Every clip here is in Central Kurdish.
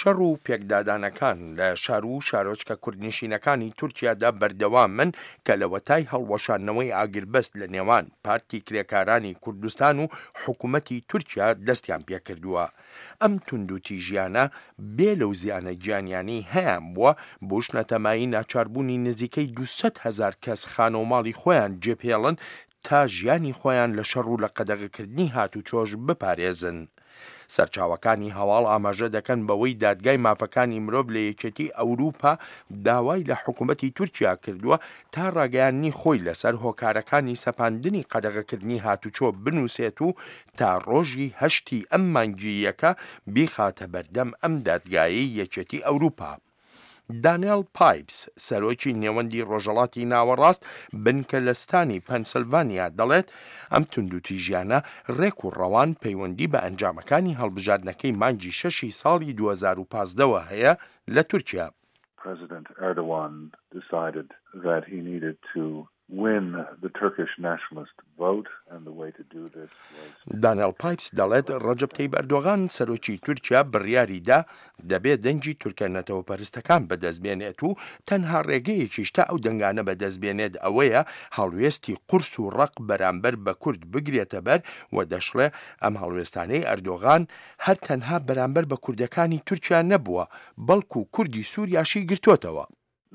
شەڕ و پێکدادانەکان لە شار و شارۆچکە کوردنشینەکانی تورکیادا بەردەوامن کە لەوەتای هەڵوەشاندنەوەی ئاگربەست لە نێوان پارتی کرێکارانی کوردستان و حکومەتی تورکیا دەستیان پێکردووە. ئەم توندوتیژیانە بێ لەو زیانە گیانیانەی هەیانبووە، بووشنەتە مایەی ناچاربوونی نزیکەی 200,000 کەس خانەوماڵی خۆیان جێبهێڵن تا ژیانی خۆیان لە شەڕ و لە قەدەغەکردنی هاتوچۆش بپارێزن. سەرچاوەکانی هەواڵ ئاماژە دەکەن بەوەی دادگای مافەکانی مرۆڤ لە یەکێتی ئەوروپا داوای لە حکومەتی تورکیا کردووە تا ڕاگەیاندنی خۆی لەسەر هۆکارەکانی سەپاندنی قەدەغەکردنی هاتوچۆ بنووسێت و تا ڕۆژی هەشتی ئەم مانگی یەکە بیخاتە بەردەم ئەم دادگایەی یەکێتی ئەوروپا. دانێڵ پایپس، سەرۆکی نێوەندی ڕۆژهەڵاتی ناوەڕاست بنکە لە ستانی پەنسلڤانیا دەڵێت، ئەم توندوتیژیانە ڕێک و ڕەوان پەیوەندی بە ئەنجامەکانی هەڵبژاردنەکەی مانگی شەشی ساڵی 2015 وە هەیە لە تورکیا. President Erdogan decided that he needed to win the Turkish nationalist vote and the way to do this was. دانێڵ پایپس دەڵێت، ڕەجەب تەیب ئەردۆغان، سەرۆکی تورکیا بڕیاری دا دەبێ دەنگی تورکە نەتەوەپەرستەکان بەدەست بێنێت و تەنها ڕێگەیەکیش تا ئەو دەنگانە بەدەست بێنێت ئەوەیە هەڵوێستی قورس و ڕەق بەرامبەر بە کورد بگرێتە بەر و دەشڵێ ئەم هەڵوێستانەی ئەردۆغان هەر تەنها بەرامبەر بە کوردەکانی تورکیا نەبووە بەڵکو کوردی سوریاشی گرتۆتەوە.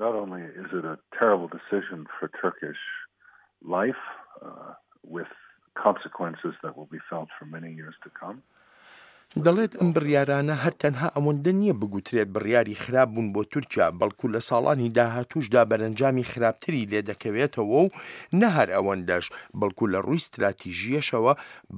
Not only is it a terrible decision for Turkish life with consequences that will be felt for many years to come. دەڵێت ئەم بڕیارانە هەر تەنها ئەوەندە نییە بگوترێت بڕیاری خراپ بوون بۆ تورکیا، بەڵکو لە ساڵانی داهاتووشدا بەرەنجامی خراپتری لێدەکەوێتەوە و نە هەر ئەوەندەش، بەڵکو لە ڕووی ستراتیژییەشەوە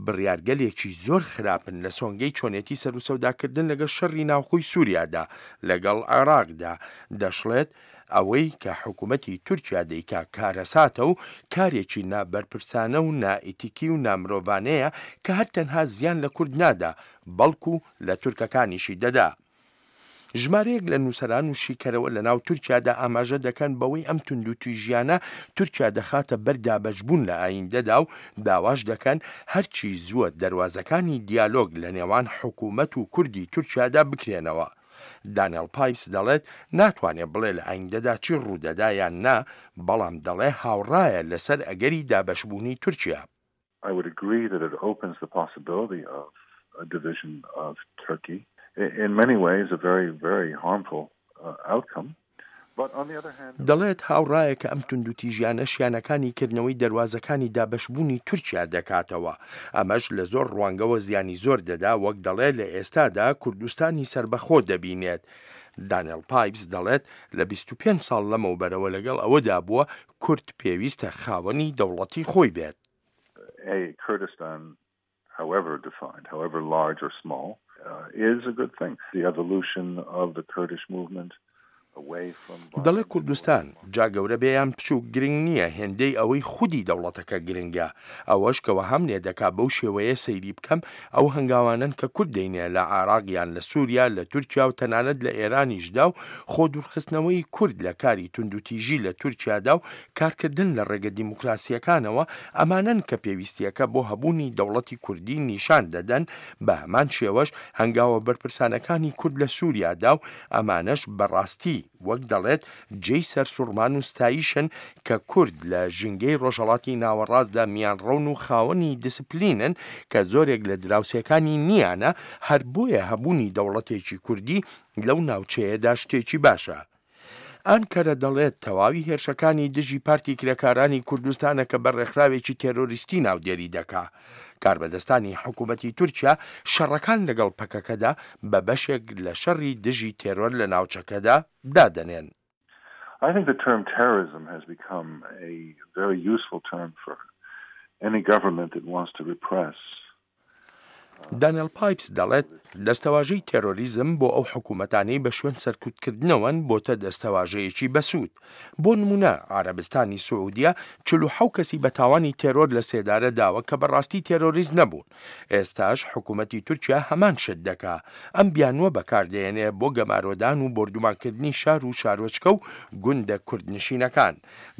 بڕیارگەلێکی زۆر خراپن لە سۆنگەی چۆنێتی سەروسەوداکردن لەگەڵ شەڕی ناوخۆی سوریادا لەگەڵ عێراقدا، دەشڵێت، ئەوەی کە حکومەتی تورکیا دەیکا کارەساتە و کارێکی نابەرپرسانە و نائیتیکی و نامرۆڤانەیە کە هەر تەنها زیان لە کورد نادا بەڵکو لە تورکەکانیشی دەدا. ژمارەیەک لە نووسەران و شیکەرەوە لە ناو تورکیادا ئاماژە دەکەن بەوەی ئەم توندوتیژیانە تورکیا دەخاتە بەر دابەشبوون لە ئایندەدا و داواش دەکەن هەرچی زووە دەروازەکانی دیالۆگ لە نێوان حکومەت و کوردی تورکیادا بکرێنەوە. دانێڵ پایپس دەڵێت ناتوانێ بڵێ لە ئایندەدا چی ڕوودەدا یان نا، بەڵام دەڵێ هاوڕایە لەسەر ئەگەری دابەشبوونی تورکیا. I would agree that it opens the possibility of a division of Turkey, in many ways a very, very harmful outcome, but on the other hand. دەڵێت هاوڕایە کە ئەم توندوتیژیانە شیانەکانی کردنەوەی دەروازەکانی دابەشبوونی تورکیا دەکاتەوە، ئەمەش لە زۆر ڕوانگەوە زیانی زۆر دەدا، وەک دەڵێ لە ئێستادا کوردستانی سەربەخۆ دەبینێت. دانێڵ پایپس دەڵێت لە 25 ساڵ لەمەوبەرەوە لەگەڵ ئەوەدا بووە کورد پێویستە خاوەنی دەوڵەتی خۆی بێت. A Kurdistan however defined, however large or small, is a good thing. The evolution of the Kurdish movement away from دەڵێ کوردستان، جا گەورە بێ یان بچووک گرنگ نییە هێندەی ئەوەی خودی دەوڵەتەکە گرنگە. ئەوەش کە وەهام لێ دەکا بەو شێوەیە سەیری بکەم، ئەو هەنگاوانەن کە کورد دەینێ لە عێراق یان لە سووریا، لە تورکیا و تەنانەت لە ئێرانیشدا و خۆ دوورخستنەوەی کورد لە کاری توندوتیژی لە تورکیادا و کارکردن لە ڕێگە دیموکراسییەکانەوە، ئەمانەن کە پێویستییەکە بۆ هەبوونی دەوڵەتی کوردی نیشان دەدەن، بە هەمان شێوەش هەنگاوە بەرپرسانەکانی کورد لە سووریادا و ئەمانەش بە ڕاستی وەک دەڵێت جێی سەرسوڕمان و ستایشن کە کورد لە ژینگەی ڕۆژهەڵاتی ناوەڕاستدا میانڕەون و خاوەنی دیسپلینن کە زۆرێک لە دراوسێکانی نییانە، هەر بۆیە هەبوونی دەوڵەتێکی کوردی لەو ناوچەیەدا شتێکی باشە. ئانکەرە دەڵێت تەواوی هێرشەکانی دژی پارتی کرێکارانی کوردستانە کە بە ڕێکخراوێکی تێرۆریستی ناودێری دەکا. کاربەدەستانی حکوومەتی تورکیا شەڕەکان لەگەڵ پەکەکەدا بە بەشێک لە شەڕی دژی تێرۆر لە ناوچەکەدا دادەنێن. I think the term terrorism has become a very useful term for any government that wants to repress دانێڵ پایپس دەڵێت، دەستەواژەی تێرۆریزم بۆ ئەو حکوومەتانەی بە شوێن سەرکوتکردنەوەن بۆتە دەستەواژەیەکی بەسوود. بۆ نموونە عەرەبستانی سعودیە 47 کەسی بە تاوانی تێرۆر لە سێدارە داوە کە بەڕاستی تێرۆریست نەبوون. ئێستاش حکوومەتی تورکیا هەمان شت دەکا. ئەم بیانووە بەکاردەهێنێ بۆ گەمارۆدان و بۆردومانکردنی شار و شارۆچکە و گوندە کوردنشینەکان.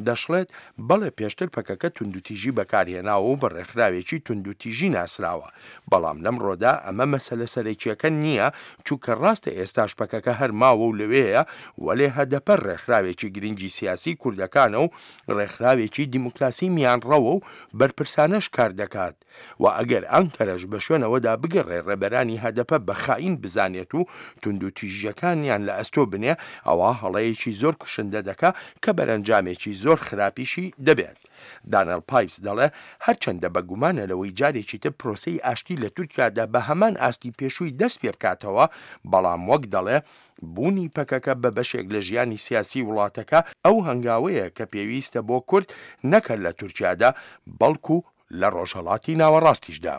دەشڵێت، بەڵێ پێشتر پەکەکە توندوتیژی بەکارهێناوە و بە ڕێکخراوێکی توندوتیژی ناسراوە، بەڵام لەم. لەمڕۆدا ئەمە مەسەلە سەرەکییەکە نییە، چونکە ڕاستە ئێستاش پەکەکە هەر ماوە و لەوێیە، وەلێ هەدەپە ڕێکخراوێکی گرنگی سیاسیی کوردەکانە و ڕێکخراوێکی دیموکراسی میانڕەوە و بەرپرسانەش کار دەکات و ئەگەر ئانکەرەش بە شوێن ئەوەدا بگەڕێ ڕێبەرانی هەدەپە بە خائین بزانێت و توندوتیژییەکانیان لە ئەستۆ بنێ، ئەوا هەڵەیەکی زۆر کوشندە دەکا کە بەرەنجامێکی زۆر خراپیشی دەبێت. دانێڵ پایپس دەڵێ، هەرچەندە بە گومانە لەوەی جارێکی تر پرۆسەی ئاشتی لە تورکیادا بە هەمان ئاستی پێشووی دەست پێ بکاتەوە، بەڵام وەک دەڵێ، بوونی پەکەکە بە بەشێک لە ژیانی سیاسی وڵاتەکە ئەو هەنگاوەیە کە پێویستە بۆ کورد نەک هەر لە تورکیادا، بەڵکو لە ڕۆژهەڵاتی ناوەڕاستیشدا.